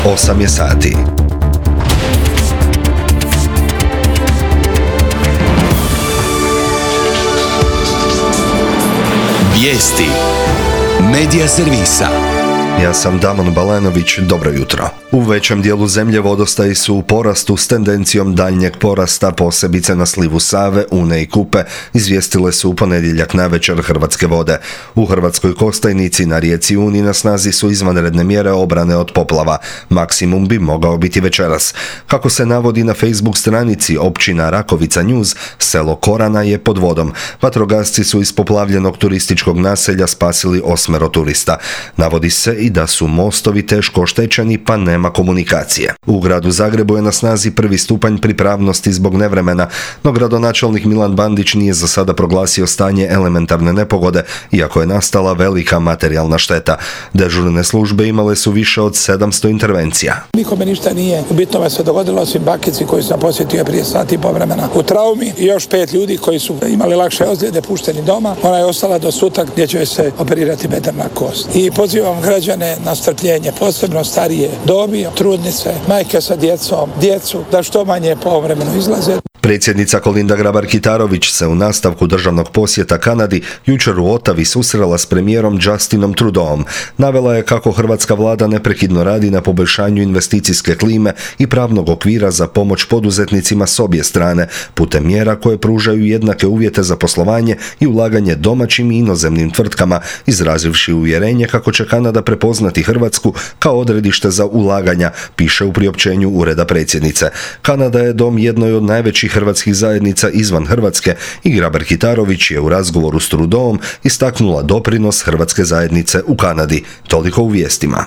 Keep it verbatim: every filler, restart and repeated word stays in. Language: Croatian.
osam je sati. Vijesti Medija servisa. Ja sam Damon Balanović, dobro jutro. U većem dijelu zemlje vodostaji su u porastu s tendencijom daljnjeg porasta, posebice na slivu Save, Une i Kupe, izvijestile su u ponedjeljak navečer Hrvatske vode. U Hrvatskoj Kostajnici na rijeci Uni na snazi su izvanredne mjere obrane od poplava. Maksimum bi mogao biti večeras. Kako se navodi na Facebook stranici općina Rakovica News, selo Korana je pod vodom. Vatrogasci su iz poplavljenog turističkog naselja spasili osmero turista. Navodi se i da su mostovi teško oštećeni pa nema komunikacije. U gradu Zagrebu je na snazi prvi stupanj pripravnosti zbog nevremena, no gradonačelnik Milan Bandić nije za sada proglasio stanje elementarne nepogode, iako je nastala velika materijalna šteta. Dežurne službe imale su više od sedamsto intervencija. Nikome ništa nije u bitnome se dogodilo, osim bakici koji sam posjetio prije sati i po vremena u traumi i još pet ljudi koji su imali lakše ozljede pušteni doma. Ona je ostala do sutra gdje će se operirati bedrna kost. I pozivam građane na strpljenje, posebno starije dobi, trudnice, majke sa djecom, djecu, da što manje povremeno izlaze. Predsjednica Kolinda Grabar-Kitarović se u nastavku državnog posjeta Kanadi jučer u Ottawi susrela s premijerom Justinom Trudeauom. Navela je kako hrvatska vlada neprekidno radi na poboljšanju investicijske klime i pravnog okvira za pomoć poduzetnicima s obje strane, putem mjera koje pružaju jednake uvjete za poslovanje i ulaganje domaćim i inozemnim tvrtkama, izrazivši uvjerenje kako će Kanada prepoznati Hrvatsku kao odredište za ulaganja, piše u priopćenju Ureda predsjednice. Kanada je dom jednoj od najvećih hrvatskih zajednica izvan Hrvatske i Grabar-Kitarović je u razgovoru s Trudeauom istaknula doprinos hrvatske zajednice u Kanadi. Toliko u vijestima.